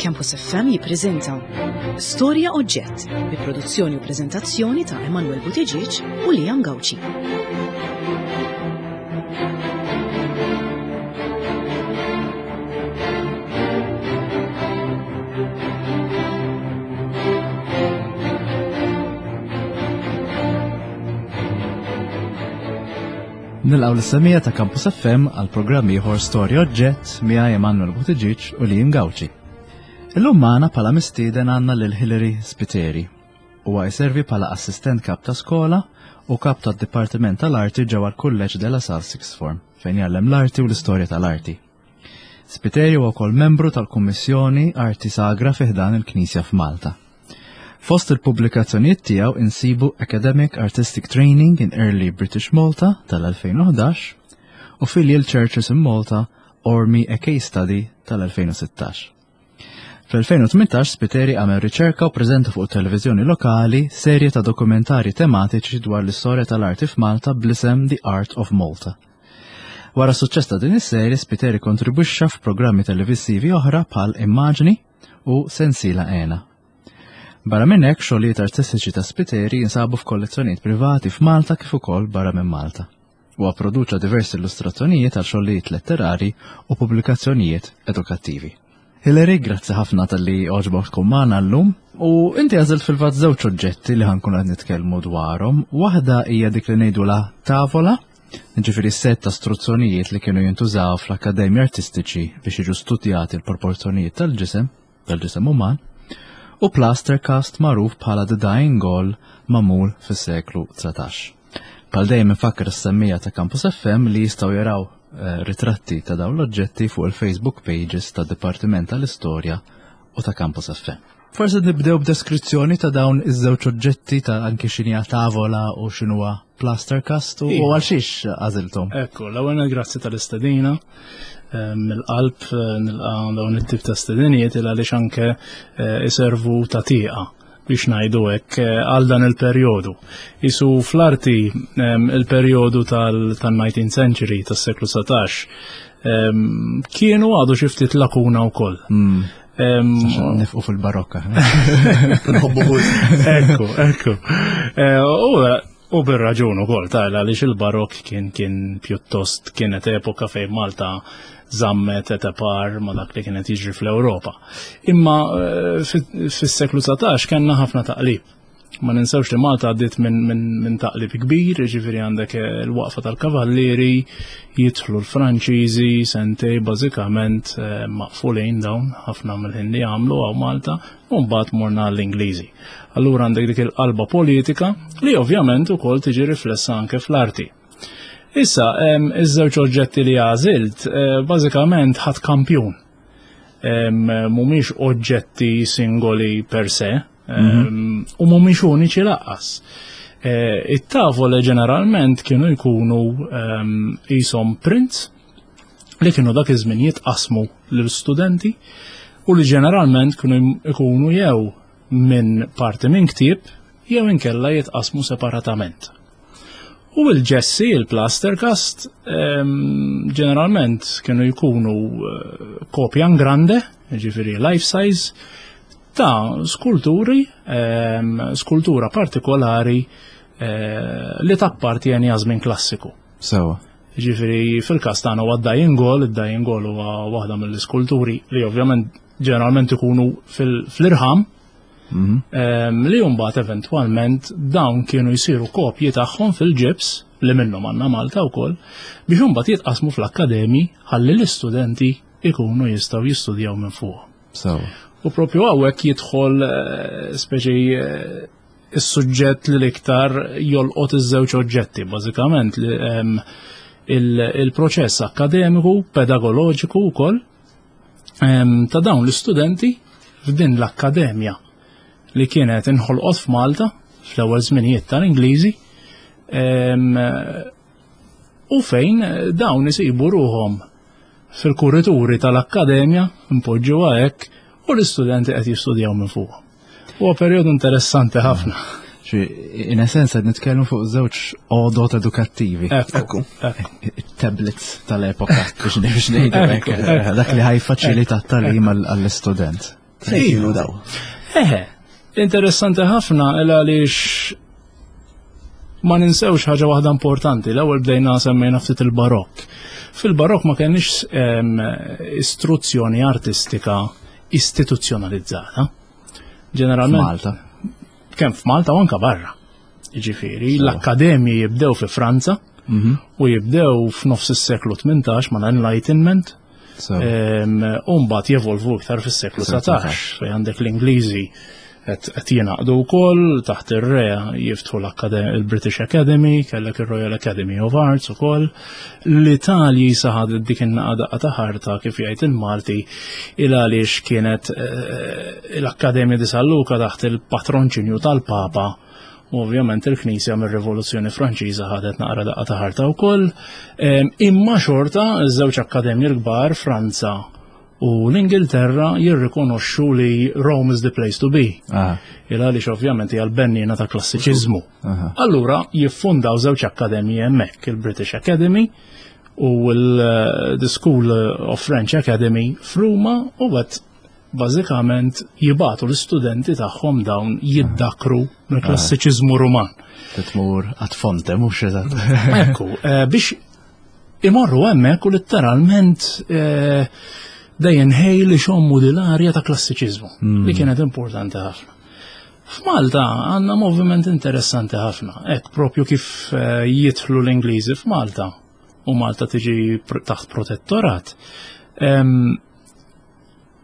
Campus FM jippreżenta Storja Oġġett bi produzzjoni u preżentazzjoni ta' Emanuel Buttigieg u Liam Gauci. Nilqgħu lis-semija ta' Campus FM għal programm ieħor Storja Oġġett miegħi Emanuel Buttigieg u Liam Gauci. Illum magħna bħala mistieden għandna lil Hillary Spiteri. Huwa jservi bħala assistent kap ta' skola u kap tad-Dipartiment tal-Arti ġewwa l-Kulleġġ de la Salle Sixth Form fejn jgħallem l-arti u l-istorja tal-arti. Spiteri huwa wkoll membru tal-Kummissjoni Arti Sagra fi ħdan il-Knisja f'Malta. Fost il-pubblikazzjonijiet tiegħu insibu Academic Artistic Training in Early British Malta tal-2011 u Filial Churches in Malta Ormi a Case Study tal-2016. Fl-2018 Spiteri għamel riċerka u preżenta fuq televiżjoni lokali serje ta' dokumentari tematiċi dwar l-istorja tal-arti f'Malta bl-isem The Art of Malta. Wara suċċess ta' din is-serje, Spiteri kontribwixxa f'programmi televisivi oħra bħal Immaġni u Sensiela Ena. Barra minn hekk, xogħlijiet artistiċi ta' Spiteri jinsabu f'kollezzjonijiet privati f'Malta kif ukoll barra minn Malta. Huwa pproduċa diversi illustrazzjonijiet għal xogħlijiet letterari u pubblikazzjonijiet edukattivi. Hilary, grazzi ħafna tal-li oġbok tkun magħna llum. U inti għażilt fil-fatt żewġ oġġetti li ħankun qed nitkellmu dwarhom. Waħda hija dik li ngħidula tavola, ġifieri set ta' struzzjonijiet li kienu jintużaw fl-akkademji artistiċi biex jiġu studjati l-proporzjonijiet tal-ġisem, tal-ġisem uman, u plaster cast magħruf bħala The Dying Gaul magħmul fis-seklu 19. Bħal dejjem infakkar is-semmija ta' Campus FM li jistgħu jaraw eh, ritratti ta' dawn l-oġġetti fuq il-Facebook pages ta' Dipartiment tal-Istorja u ta' Campus FM. Forse nibdew b'deskrizzjoni ta' dawn iż-żewġ oġġetti ta' anki x'inhi tavola u x'inhuwa plaster cast u iva. għal xiex għażilthom. Ekku, l-ewwel grazzi tal-istedina eh, mill-qalb eh, nilqa' dawn it-tip ta' stedinijiet il għaliex anke eh, iservu ta' tieqa biex ngħidu hekk għal dan il-perjodu. Isu fl-arti il-perjodu tal-19th century, tas-seklu 19, kienu għadu xi ftit lakuna wkoll. Hmm. Nifqu fil-barokka. Nħobbu Ekku, ekku. Eh, u bir-raġun ukoll ta' għaliex il-barokk kien kien pjuttost kienet epoka fejn Malta zammet et par ma dak li kienet jiġri fl-Ewropa. Imma eh, fis-seklu 19 kellna ħafna taqlib. Ma ninsewx li Malta għaddiet minn min, min taqlib kbir, ġifieri għandek eh, l-waqfa tal-kavallieri, jidħlu l-Franċiżi, sentej bażikament eh, maqfulin dawn ħafna mill-ħin li għamlu għaw Malta, u mbagħad morna l-Ingliżi. Allura għandek dik il-qalba politika li ovvjament ukoll tiġi riflessa anke fl-arti. Issa, iż-żewġ oġġetti li għażilt, eh, bażikament ħadd kampjun. Mhumiex oġġetti singoli per se, mhm. u mhumiex uniċi laqqas. Eh, it-tavole ġeneralment kienu jkunu qishom prints li kienu dak iż-żmien jitqasmu lill-studenti u li ġeneralment kienu jkunu jew minn parti minn ktieb jew inkella jitqasmu separatament. U l-ġessi, il-plaster cast, ehm, ġeneralment kienu jkunu eh, kopja grande, ġifiri life size, ta' skulturi, ehm, skultura partikolari eh, li tappartieni għaż-żmien klassiku. Sewa. Ġifiri, fil-kas tagħna huwa d-Dying Goal, id-Dying Goal huwa waħda mill-iskulturi li ovvjament ġeneralment ikunu fl-irħam, mhm. ehm, li mbagħad eventwalment dawn kienu jsiru kopji tagħhom fil-ġibs li minnhom għandna Malta wkoll biex imbagħad jitqasmu fl-akkademji ħalli l-istudenti ikunu jistgħu jistudjaw minn fuq. U propju hawnhekk jidħol eh, speċi eh, is-suġġett li l-iktar jolqot iż-żewġ oġġetti, bażikament ehm, il-proċess akademiku, pedagoloġiku wkoll ehm, ta' dawn l-istudenti f'din l-akkademja li kienet inħolqot f'Malta fl-ewwel żminijiet tal-Ingliżi ehm, u fejn dawn isibu ruhom fil-kurituri tal-akkademja, npoġġuha hekk, u l-istudenti qed jistudjaw minn fuq. Huwa perjodu interessanti ħafna. In essenza qed nitkellmu fuq żewġ għodot edukattivi. Ekku. Tablets tal-epoka biex biex ngħidu hekk. Dak li ħajfaċilita t-tagħlim għall-istudent. Fejn kienu daw? Eħe, interessanti ħafna il għaliex ma ninsewx ħaġa waħda importanti. L-ewwel bdejna semmejna ftit il-barokk. Fil-barokk ma kenniex istruzzjoni artistika istituzzjonalizzata. Ġeneralment. Malta. Kemm f'Malta u anka barra. Jiġifieri, l-akkademji jibdew fi Franza mhm. u jibdew f'nofs is-seklu 18 ma' l-Enlightenment. U mbagħad jevolvu iktar fis-seklu 19 fejn għandek l-Ingliżi qed jingħaqdu wkoll taħt ir-re jiftħu l-British Academy, kellek ir-Royal Academy of Arts ukoll. L-Italji saħad dik in-naqa daqqa ta' ħarta kif jgħid il-Malti il għaliex kienet eh, l-Akkademja di San Luca taħt il-patronċinju tal-Papa u ovvjament il-Knisja mir-Rivoluzzjoni Franċiża ħadet naqra daqqa ta' ħarta wkoll. Imma xorta iż-żewġ akkademji l-kbar Franza u l-Ingilterra jirrikonoxxu li Rome is the place to be. Il għaliex ovvjament hija l-bennina ta' klassiċiżmu. Allura jiffundaw żewġ akkademji hemmhekk, il-British Academy u l-The School of French Academy f'Ruma u għed bażikament jibatu l-istudenti tagħhom dawn jiddakru mill-klassiċiżmu Ruman. Titmur għat fonte, mhux eżatt. Ekku, eh, biex imorru hemmhekk u litteralment eh, dejjem ħej li xommu dil-arja ta' klassiċiżmu hmm. li kienet importanti ħafna. F'Malta għandna moviment interessanti ħafna, hekk propju kif eh, jidħlu l-Ingliżi f'Malta u Malta tiġi taħt protettorat.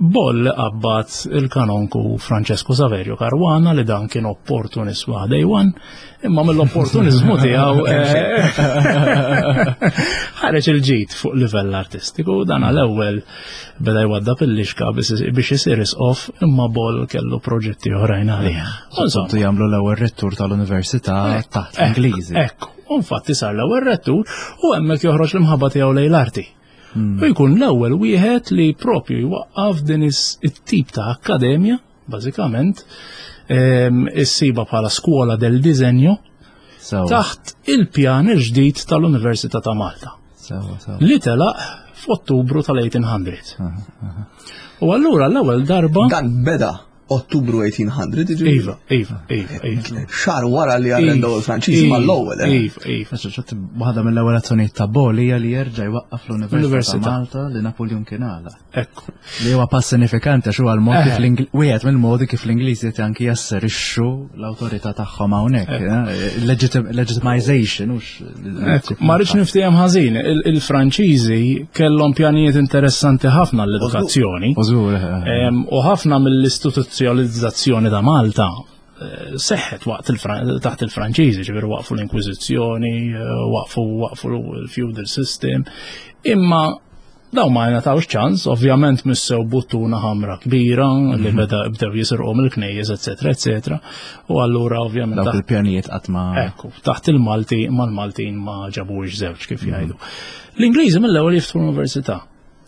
Boll qabbad il-kanonku Francesco Saverio Caruana li dan kien opportunist day one, imma mill-opportunizmu tiegħu eh, ħareġ il-ġid fuq livell artistiku dan għal-ewwel beda jwadda il-lixka biex isir isqof imma Boll kellu proġetti oħrajn għalih. Insomma, jagħmlu l-ewwel rettur tal-Università taħt l-Ingliżi. Ekku, infatti sar l-ewwel rettur u hemmhekk joħroġ l-imħabba tiegħu lejn l-arti. Hmm. U jkun l-ewwel wieħed li propju jwaqqaf din it-tip ta' akkademja, bażikament, ehm, issiba bħala Scuola del Disegno taħt il-pjan il-ġdid tal-Università ta' Malta. Li telaq f'Ottubru tal-1800. U allura l-ewwel darba. Dan beda Ottubru 1800, jiġifieri? Iva, iva, iva, iva. Xahar wara li arrendaw il-Franċiżi mal-ewwel. Eh? Iva, iva. Waħda mill-ewwel azzjonijiet ta' Bol hija li jerġa' jwaqqaf l-Università ta' Malta li Napoleon kien għala. Ekku. Li huwa pass sinifikanti għax huwa l-mod kif eh. wieħed mill-modi kif l-Ingliżi qed anki jasserixxu l-awtorità tagħhom hawnhekk. Eh? Legitimization hux Ma rridx niftiehem ħażin, il-Franċiżi kellhom pjanijiet interessanti ħafna l-edukazzjoni. Eh. U ħafna mill-istituzzjonalizzazzjoni ta' Malta eh, seħħet waqt taħt il-Franċiżi, ġifieri waqfu l-Inkwiżizzjoni, eh, waqfu waqfu l-feudal system. Imma Daw ma jingħatawx ċans, ovvjament missew buttuna ħamra kbira li mhm. beda bdew jisirqu mill-knejjes, eċetera, eċetera. U allura ovvjament. Dawk il-pjanijiet qatt ma. Ekku, taħt il-Malti mal-Maltin ma ġabux żewġ kif mhm. jgħidu. L-Ingliżi mill-ewwel jiftħu l-università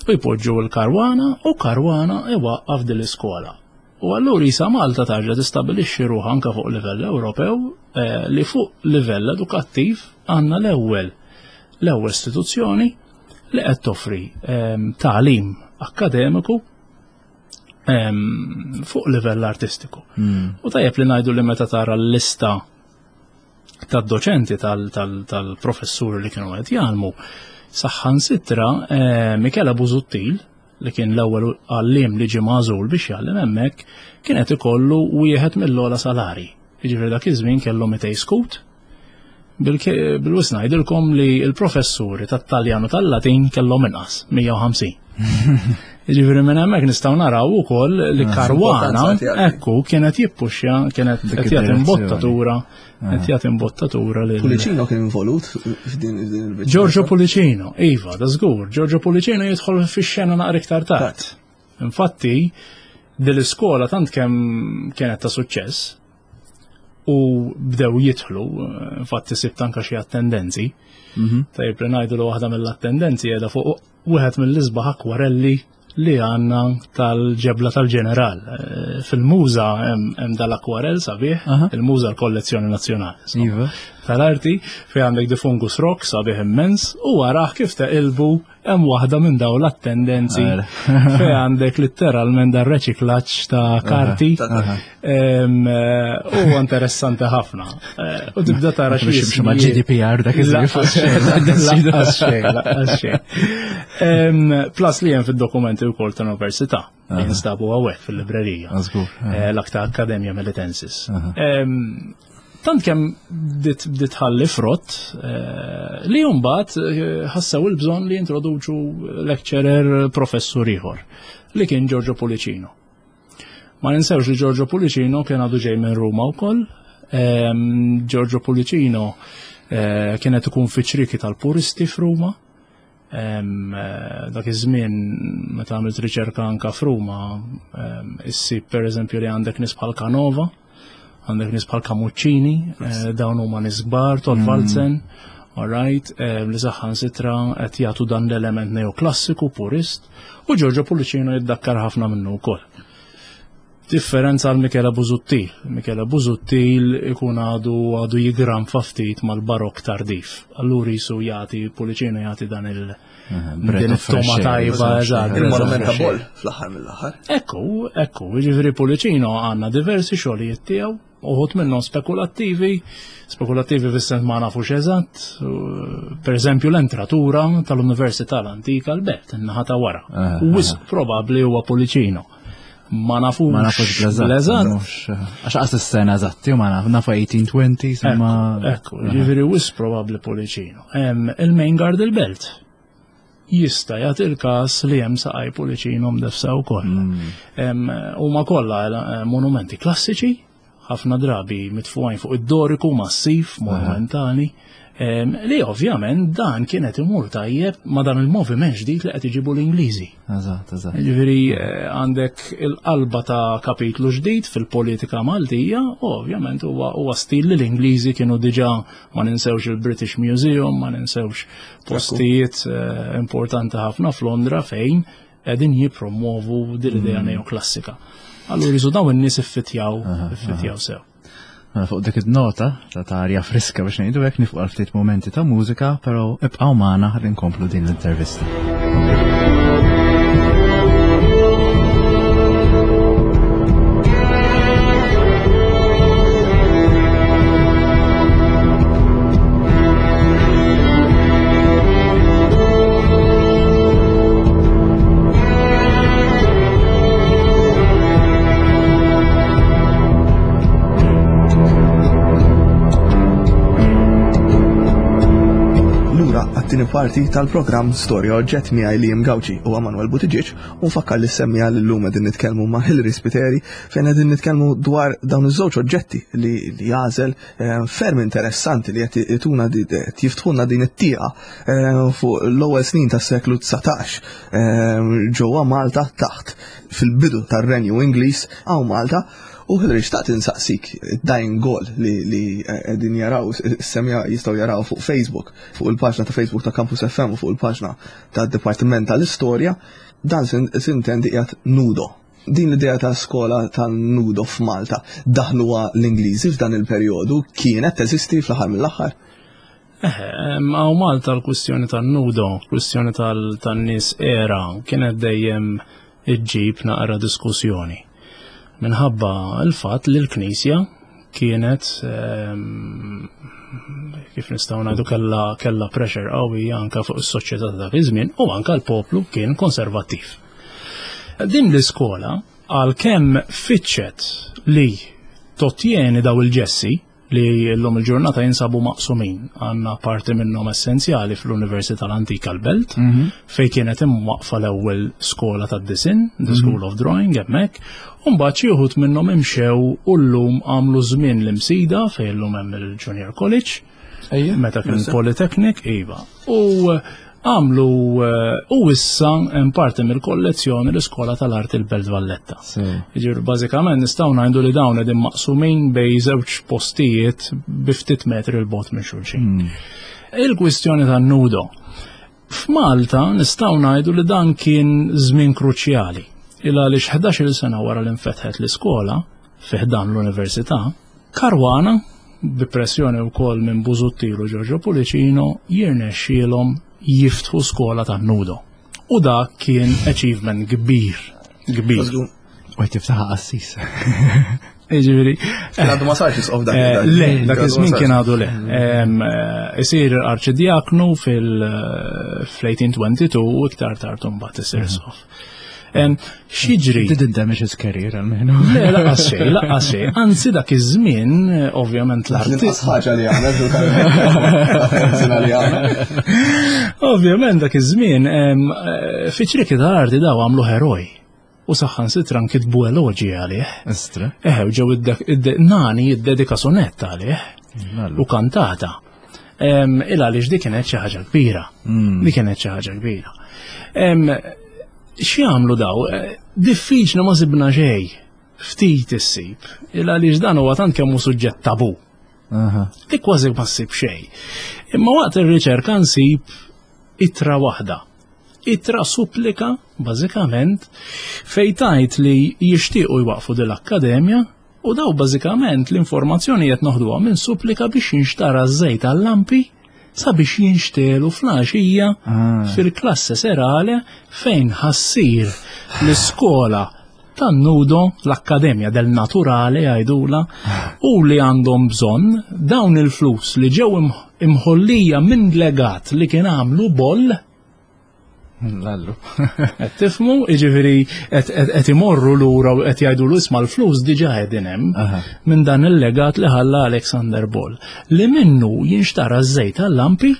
u jpoġġu l-Karwana u Karwana iwaqqaf din l-iskola. U allura jisa Malta tarġa tistabilixxi ruħha anke fuq livell Ewropew eh, li fuq livell edukattiv għandna l-ewwel l-ewwel istituzzjoni li qed toffri ehm, tagħlim akkademiku ehm, fuq livell artistiku. Hmm. U tajjeb li ngħidu li meta tara l-lista tad-doċenti tal-professuri li kienu qed jgħallmu, saħħan sitra eh, Michela Busuttil li kien l-ewwel għallim li ġie magħżul biex jgħallem hemmhekk, kien qed ikollu wieħed mill-ogħla salari. Jiġifieri dak iż-żmien kellu 200 skut. Bil-wis ngħidilkom li l-professuri tat-Taljan u tal-Latin kellhom inqas, 150. Jiġifieri minn hemmhekk nistgħu naraw ukoll li ah, Karwana ekku kienet jippuxja, kienet qed jagħti imbottatura, qed jagħti imbottatura lil Pulicino kien involut f'din il-biċċa. Giorgio Pulicino, iva, da żgur, Giorgio Pulicino jidħol fix-xena naqra iktar tard. Infatti, din l-iskola tant kemm kienet ta' suċċess u bdew jidħlu, infatti sibt anka xi attendenzi. Mhm. Tajjeb li ngħidu li waħda mill-attendenzi qiegħda fuq wieħed mill-isbaħ akwarelli li għandna tal-ġebla tal-ġeneral. Eh, fil-muża hemm dal-akwarell sabiħ, il-muża l-kollezzjoni nazzjonali. Iva. Tal-arti fejn għandek di fungus rock sabiħ immens u waraħ kif teqilbu hemm waħda minn dawn l-attendenzi fejn għandek litteralment dar reċiklaġġ ta' karti. Eh, huwa interessanti ħafna. Eh, u tibda tara xi ma' GDPR dak iż-żmien. Plus li hemm fid-dokumenti wkoll tal-università li jinstabu hawnhekk fil-librerija. Eh, L-akta Akkademja Melitensis. Tant kemm bdiet ħalli frott li mbagħad ħassew il-bżonn li jintroduċu lecturer professur ieħor li kien Giorgio Pulicino. Ma ninsewx li Giorgio Pulicino kien għadu ġej minn Ruma wkoll. Giorgio Pulicino eh, kienet ikun fiċriki tal-puristi f'Ruma. Eh, dak iż-żmien meta għamilt riċerka anka f'Ruma, issib pereżempju li għandek nies bħal Canova, għandek nies bħal Camuccini, eh, dawn huma nies kbar, Tolvalzen, mm. all right, eh, li saħħan sitra qed jagħtu dan l-element neoklassiku purist, u Giorgio Pulicino jiddakkar ħafna minnu wkoll. Differenza għal Michele Busuttil. Michele Busuttil ikun għadu għadu jigran ftit mal-barok tardif. Allura jisu jagħti Pulicino jagħti dan il- Din it-toma tajba, eżatt. Il-monument ta' Boll fl-aħħar mill-aħħar. Ekku, ekku, jiġifieri Pulicino għandna diversi xogħlijiet tiegħu, uħud minnhom spekulattivi, spekulattivi fis-sens ma nafux eżatt, per eżempju l-entratura tal-Università l-Antika l-Belt, in-naħa ta' wara. Wisq probabbli huwa Pulicino. Ma nafux. Ma nafux bl-eżatt. Għax qas is-sena eżatti, ma naf, nafu 1820, ma. Ekku, ġifieri wisq probabbli Pulicino. Il-main guard il-belt jista' jagħti il-każ li hemm saqaj Pulicino mdefsa wkoll. Mm. Huma kollha eh, monumenti klassiċi, ħafna drabi mitfuqajn fuq id-doriku massiv monumentali. Li ovvjament dan kienet imur tajjeb ma dan il-moviment ġdid li qed iġibu l-Ingliżi. Eżatt, eżatt. Ġifieri eh, għandek il-qalba ta' kapitlu ġdid fil-politika Maltija, u ovvjament huwa stil li l-Ingliżi kienu diġà ma ninsewx il-British Museum, ma ninsewx postijiet eh, importanti ħafna f'Londra fejn qegħdin jippromovu din l-idea mm. neoklassika. Allura jisu dawn in-nies iffitjaw, iffitjaw sew. Mela fuq dik id-nota ta' tarja friska biex ngħidu hekk nifqu għal ftit momenti ta' mużika, però ibqgħu magħna ħalli nkomplu din l-intervista. Lura għat-tieni parti tal-programm Storja Oġġett miegħi Liam Gauci u Emanuel Buttigieg u nfakkar li semmija li llum qegħdin nitkellmu ma' Hillary Spiteri fejn qegħdin nitkellmu dwar dawn iż-żewġ oġġetti li jagħżel eh, ferm interessanti li qed ituna jiftħulna din it-tieqa eh, fuq l-ewwel snin tas-seklu 19 eh, ġewwa Malta taħt fil-bidu tar-Renju Ingliż hawn Malta u Hillary xtaqt insaqsik dying goal li qegħdin jaraw semja jistgħu jaraw fuq Facebook, fuq il-paġna ta' Facebook ta' Campus FM u fuq il-paġna tad-Dipartiment tal-Istorja, dan sintendi qiegħed nudo Din l-idea ta' skola tan-nudo f'Malta daħluha l-Ingliżi f'dan il-perjodu kienet teżisti fl-aħħar mill-aħħar? Eħe, hawn Malta l-kwistjoni tan-nudo, kwistjoni tan-nies era kienet dejjem iġġib naqra diskussjoni. Minħabba l-fatt li l-Knisja kienet kif nistgħu ngħidu kellha kellha pressure qawwija anke fuq is-soċjetà ta' dak iż-żmien u anke l-poplu kien konservattiv. Din l-iskola għalkemm fitxet li totjeni daw il-ġessi li l-lum il-ġurnata jinsabu maqsumin għanna parti minnhom essenzjali fl-Università l-Antika l-Belt, mm -hmm. fej kienet imwaqfa l-ewwel skola tad-disin, the mhm. School of Drawing hemmhekk, u mbagħad xi wħud minnhom imxew u llum għamlu żmien l-imsida fejn llum hemm il-Junior College. Meta kien Polytechnic, iva. U għamlu eh, u issa hemm parti mill-kollezzjoni l-Iskola tal-Arti l-Belt Valletta. Jiġifieri bażikament nistgħu ngħidu li dawn qegħdin maqsumin bej żewġ postijiet bi ftit metri l bot minn xulxin. Hmm. Il-kwistjoni tan-nudo. F'Malta nistgħu ngħidu li dan kien żmien kruċjali il għaliex 11-il sena wara li nfetħet l-iskola fi ħdan l-Università, Caruana, bi pressjoni wkoll minn Busuttil u Giorgio Pullicino, jirnexxielhom jiftħu skola tan-nudo. U dak kien achievement kbir, kbir. U tiftaħ qassis. Jiġifieri. Għadu ma sarx isqof dak. Eh, le, dak iż-żmien kien għadu le. Eh, isir arċidjaknu fil-1822 u iktar tard imbagħad isir mhm. isqof. X'jiġri? Didn't damage his career almenu. Le, laqas xejn, laqas xejn. Anzi dak iż-żmien, ovvjament l-arti. L-inqas ħaġa li għamel li għamel. Ovvjament dak iż-żmien, eh, fiċriki tal-arti daw għamlu heroj. U saħansitra nkitbu eloġi għalih. Istra. Eħe, ġew nani jiddedika sonett għalih. U kantata. Il għaliex dik kienet xi ħaġa kbira. Hmm. Dik kienet xi ħaġa kbira. X'jagħmlu daw? Eh, diffiċli ma sibna xejn. Ftit issib. Il għaliex dan huwa tant kemm hu suġġett tabu. Dik kważi ma ssib xejn. Imma waqt ir-riċerka nsib ittra waħda Ittra supplika, bażikament, fejn tgħid li jixtiequ jwaqqfu din l-akkademja u daw bażikament l-informazzjoni qed noħduha minn supplika biex jinxtara ż-żejt għal-lampi sabiex jinxtegħlu fl-għaxija ah. fil-klasse serale fejn ħassir l-iskola tan-nudo, l-Akkademja del Naturale jgħidula, u li għandhom bżonn dawn il-flus li ġew imħollija minn legat li kien għamlu boll. Lallu. Qed tifhmu, jiġifieri qed imorru lura u qed jgħidulu isma' l-flus diġà qegħdin hemm minn dan il-legat li ħalla Alexander Boll li minnu jinxtara ż-żejt għal-lampi,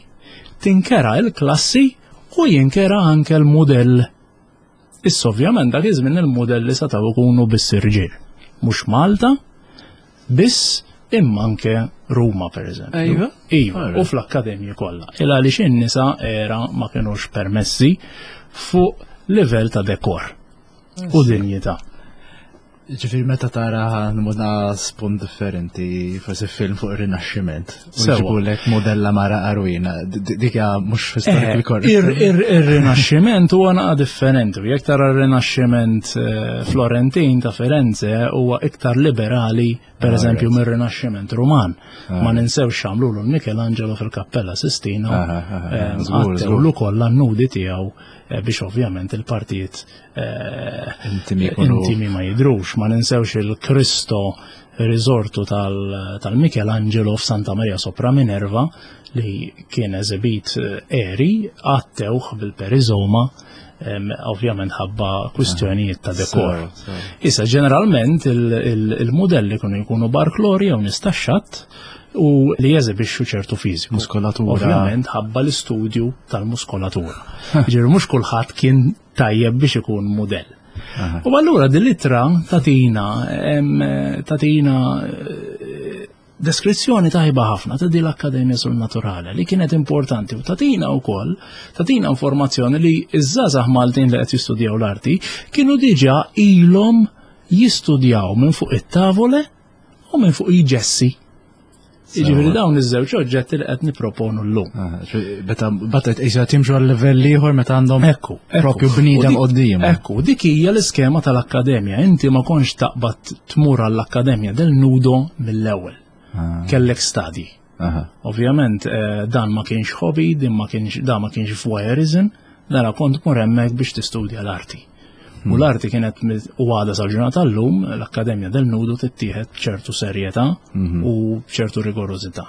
tinkera l-klassi u jinkera anke l-mudell. Issa ovvjament dak iż-żmien il-mudelli setgħu jkunu biss irġiel. Mhux Malta, biss imma anke Ruma pereżempju. Iva. Iva, u fl-akkademji kollha. Il għaliex in-nisa era ma kinux permessi fuq livell ta' dekor u dinjità. Ġifiri meta tara nmuna spunt differenti, forsi film fuq ir-Rinaxximent. Sewa. modella mara arwina, dik hija mhux historically eh, correct. Ir-Rinaxximent huwa naqa' differenti. Jekk tara r-Rinaxximent eh, Florentin ta' Firenze huwa iktar liberali per ah, eżempju mir-Rinaxximent Ruman. Ah, Ma ninsewx x'għamlu l Michelangelo fil-Kappella Sistina, ah, għattewlu kollha n-nudi tiegħu eh, biex ovvjament il-partijiet Eh, intimi ma jidrux, ma ninsewx il-Kristo risortu tal-Michelangelo f'Santa Maria sopra Minerva li kien eżibit eh, eri għattewh bil-perizoma ovvjament ħabba kwistjonijiet ta' dekor. Issa ġeneralment il-modelli kienu jkunu barklori jew nistaxxat u li jeżibixxu ċertu fiżiku. Muskolatura. Ovvjament ħabba l-istudju tal-muskolatura. Ġifieri mhux kulħadd kien tajjeb biex ikun mudell. U allura din l-ittra tatina tatina eh, deskrizzjoni tajba ħafna ta' din l-Akkademja sul Naturale li kienet importanti u tatina wkoll tatina informazzjoni li iż-żgħażagħ Maltin li qed jistudjaw l-arti kienu diġà ilhom jistudjaw minn fuq it-tavole u minn fuq il-ġessi. Jiġifieri dawn iż-żewġ oġġetti li qed nipproponu llum. Ah, meta batet qisha timxu għal livell ieħor meta għandhom ekku, propju bniedem qudiem. Ekku, dik hija l-iskema tal-akkademja. Inti ma kontx taqbad tmur għall-akkademja del nudo mill-ewwel. Ah. Kellek stadji. Ovvjament eh, dan ma kienx hobby, din ma kienx dan ma kienx voyeurism, dara kont mur hemmhekk biex tistudja l-arti. U hmm. l-arti kienet u għada sal-ġurnata llum l-Akkademja del Nudo tittieħed b'ċertu serjetà mhm. u b'ċertu rigorożità.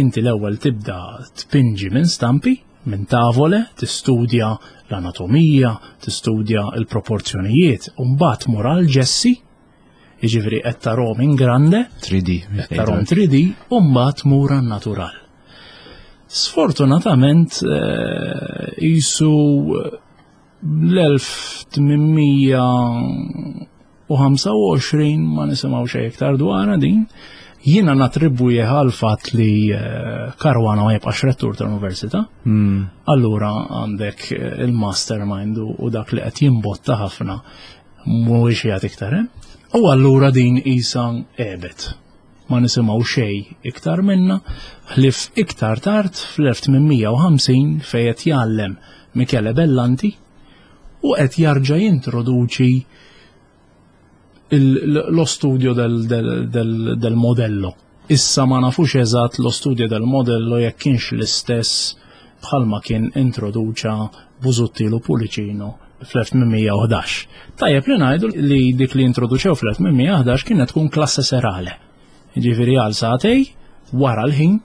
Inti l-ewwel tibda tpinġi minn stampi, minn tavole, tistudja l-anatomija, tistudja l-proporzjonijiet, u mbagħad mur għal ġessi Jiġifieri qed tarhom in grande, 3D, qed tarhom 3D u mbagħad tmur għan-natural. Sfortunatament eh, jisu l-1825 ma nisimgħu xejn iktar dwarha din. Jiena natribwih għal fatt li eh, Caruana ma jibqax rettur tal-università. Hmm. Allura għandek eh, il-mastermind u dak li qed jimbotta ħafna mhuwiex jagħti iktar hemm. U allura din isa għebet. Ma nisimgħu xejn iktar minnha, ħlief iktar tard fl-1850 fejn qed jgħallem Michele Bellanti u qed jarġa' jintroduċi lo studio del, del, del, del modello. Issa ma nafux eżatt lo studio del modello jekk kienx l-istess bħalma kien introduċa Busuttil u Pullicino fl-1811. Tajjeb li ngħidu li dik li introduċew fl-1811 kienet tkun klasse serale. Ġifieri għal sagħtej wara l-ħin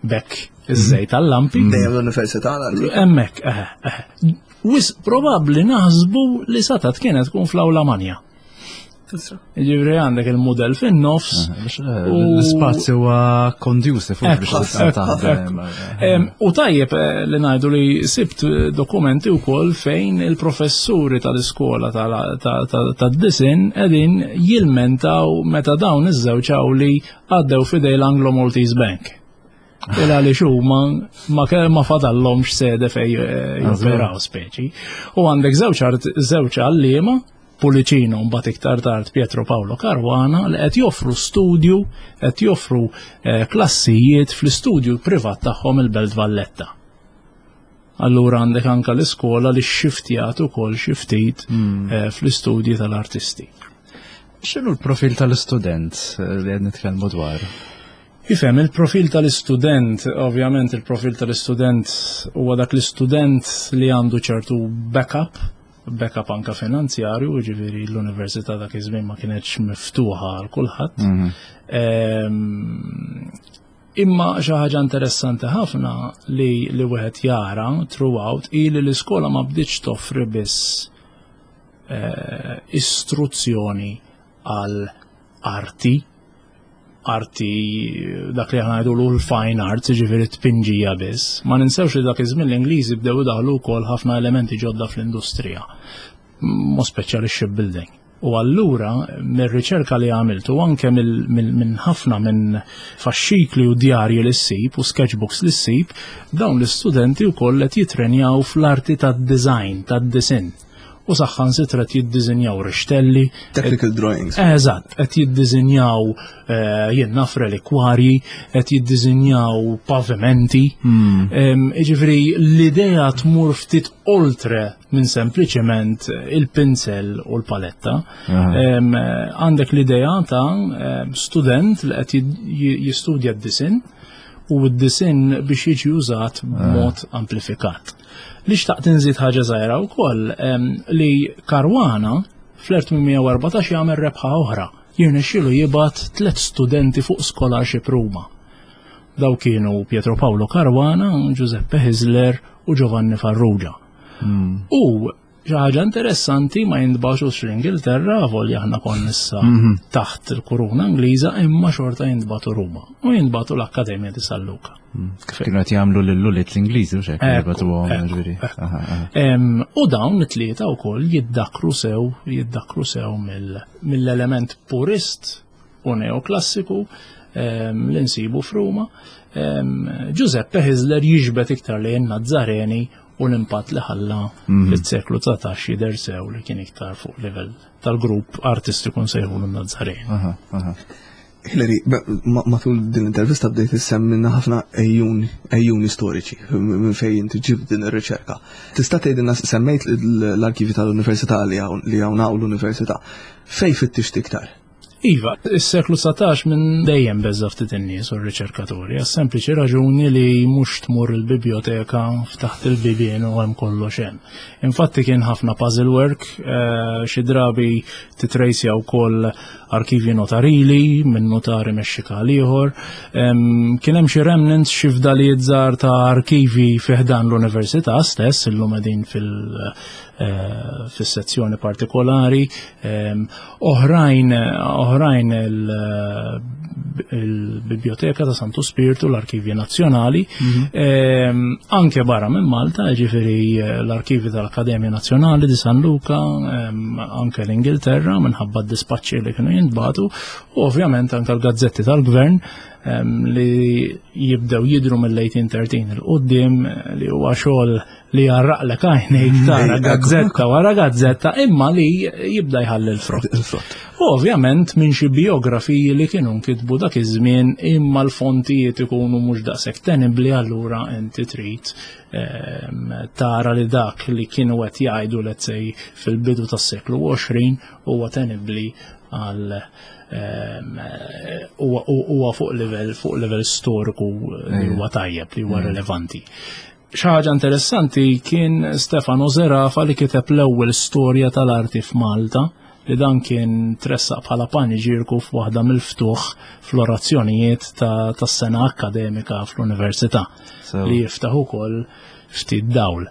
bekk iż-żejt tal-lampi. Dejjem l-università Hemmhekk, eħe, eħe. Wis probabbli naħsbu li satat kienet tkun fl-awla manja. Ġifri għandek il-modell fin-nofs. Eh, l-spazju huwa conducive biex taħdem. U tajjeb eh, li ngħidu li sibt eh, dokumenti wkoll fejn il-professuri tal-iskola tad-disin qegħdin jilmentaw meta dawn iż-żewġ li għaddew fidej l-Anglo Maltese Bank. Il għaliex huma ma ma fadallhomx sede fej eh, joperaw speċi. U għandek żewġ żewġ għalliema Pulicino mbagħad iktar tard Pietro Paolo Caruana li qed joffru studju, qed joffru eh, klassijiet fl-istudju privat tagħhom il-Belt Valletta. Allura għandek anka l-iskola li xxiftjat ukoll xi ftit hmm. eh, fl-istudji tal-artisti. X'inhu l-profil tal-istudent eh, li qed nitkellmu dwar? Ifhem, il-profil tal-istudent, ovvjament il-profil tal-istudent huwa dak l-istudent li għandu ċertu backup, backup anka finanzjarju, ġifieri l-università dak iż-żmien ma kienetx miftuħa għal kulħadd. Mhm. Ehm, Imma xi ħaġa interessanti ħafna li li wieħed jara throughout hi li l-iskola ma bdietx toffri biss eh, istruzzjoni għal arti, arti dak li aħna ngħidulu l-fine arts, jiġifieri tpinġija biss. Ma ninsewx li dak iż-żmien l-Ingliżi bdew idaħlu wkoll ħafna elementi ġodda fl-industrija, mod speċjali shipbuilding. U allura, mir-riċerka li għamilt u anke minn ħafna minn faxxikli u djarji li ssib u sketchbooks li ssib, dawn l-istudenti wkoll qed jitrenjaw fl-arti tad-design, tad-disinn. U saħħansitra qed jiddisinjaw rixtelli. Technical drawings. Eżatt, qed jiddisinjaw eh, jien naf relikwarji, qed jiddisinjaw pavimenti. Hmm. Jiġifieri l-idea tmur ftit oltre minn sempliċement il-pinsel u l-paletta. Għandek l-idea ta' student li qed jistudja d-disin u d-disin biex jiġi użat b'mod amplifikat. Li xtaqt inżid ħaġa żgħira wkoll li Karwana fl-1814 jagħmel rebħa oħra. Jirnexxielu jibgħat tliet studenti fuq scholarship Ruma. Daw kienu Pietro Paolo Caruana, Giuseppe Hisler u Giovanni Farrugia. Hmm. U xi ħaġa interessanti ma jintbaxux l-Ingilterra, volja aħna konna issa mhm. taħt il-kuruna Ingliża, imma xorta jintbatu Ruma u jintbatu l-Akkademja di San Luca. Hmm. Kif kienu qed jagħmlu lil ulied l-Ingliżi u x'hekk jibatuhom ġifieri. U dawn it-tlieta wkoll jiddakru sew, jiddakru sew mill-element purist u neoklassiku ehm, li nsibu f'Ruma. Ehm, Giuseppe Hisler jiġbed iktar lejn Nazzareni u l-impatt li ħalla mhm. fis-seklu 19 jidher sew li kien iktar fuq livell tal-grupp artistiku nsejħulu Nazzareni. Hillary, matul din l-intervista bdejt issemmilna ħafna ejjuni storiċi minn fejn inti ġibt din ir-riċerka. Tista' tgħidilna semmejt l-arkivi tal-Università li hawn hawn l-Università. Fejn fittixt iktar? Iva, is-seklu 19 minn dejjem beża' ftit in-nies u r-riċerkaturi, għas-sempliċi raġuni li mhux tmur il-bibjoteka ftaħt il-bibien u hemm kollox hemm. Infatti kien ħafna puzzle work, eh, xi drabi titrejsja wkoll arkivji notarili minn notari mexxika għal ieħor. Kien hemm xi remnants xi fdalijiet żgħar ta' arkivi fi ħdan l-università stess illum qegħdin fil- eh, fis-sezzjoni partikolari. Oħrajn oħrajn il-Biblioteka ta' Santu Spirtu, l-Arkivji Nazzjonali, mhm. ehm, anke barra minn Malta, ġifieri eh, l-Arkivi tal-Akkademja Nazzjonali di San Luca, ehm, anke l-Ingilterra minħabba d-dispaċċi li kienu jintbatu, u ovvjament anke l-gazzetti tal-Gvern. li jibdew jidru mill-1813 il-qoddim li huwa xogħol li jarraqlek għajnejk tara gazzetta wara gazzetta imma li jibda jħalli l-frott. U ovvjament minn xi biografiji li kienu nkitbu dak iż-żmien imma l-fontijiet ikunu mhux daqshekk tenibbli allura inti trid tara li dak li kienu qed jgħidu let's say fil-bidu tas-seklu 20 huwa tenibbli għal huwa fuq livell fuq livell storiku li huwa tajjeb li huwa relevanti. Xi ħaġa interessanti kien Stefano Zerafa li kiteb l-ewwel storja tal-arti f'Malta li dan kien tressaq bħala paniġirku f'waħda mill-ftuħ fl-orazzjonijiet tas-sena akkademika fl-università li jiftaħ ukoll ftit dawl.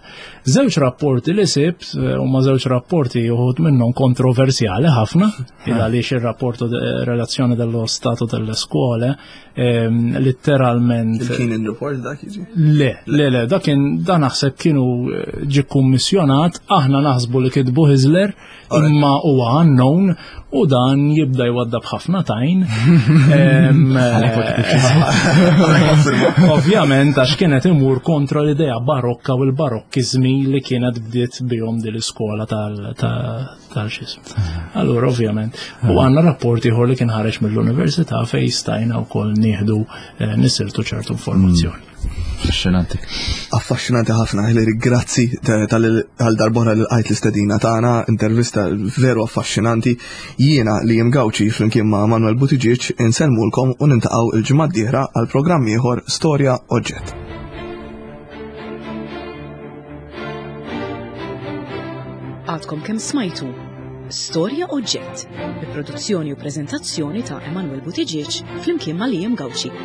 Żewġ rapporti li sibt eh, huma żewġ rapporti uħud minnhom kontroversjali ħafna, il għaliex ir-rapport relazzjoni dello Stato delle Scuole ehm, letteralment. Kien il-report dak jiġi? Le, le, le, dak kien dan naħseb kienu eh, ġi kummissjonat, aħna naħsbu li kitbu Hisler, imma huwa unknown u dan jibda jwaddab ħafna tajn. Ovvjament għax kienet imur kontra l-idea barokka u l-barokkizmi li kienet bdiet bihom din l-iskola tal-xism. Allura ovvjament, u għandna rapport ieħor li kien ħareġ mill-università fejn stajna wkoll nieħdu eh, nisiltu ċertu informazzjoni. Affaxxinanti. Affaxxinanti ħafna, Hilary, grazzi tal darbora li lqajt l-istedina tagħna, intervista veru affaxxinanti. Jiena li jim Gawċi flimkien ma' Manuel Buttigieg insellmulkom u nintaqgħu il-ġimgħa d-dieħla għal programm ieħor Storja Oġġett. Għadkom kemm smajtu Storja Oġġett bi produzzjoni u preżentazzjoni ta' Emanuel Buttigieg flimkien ma' Liam Gauci.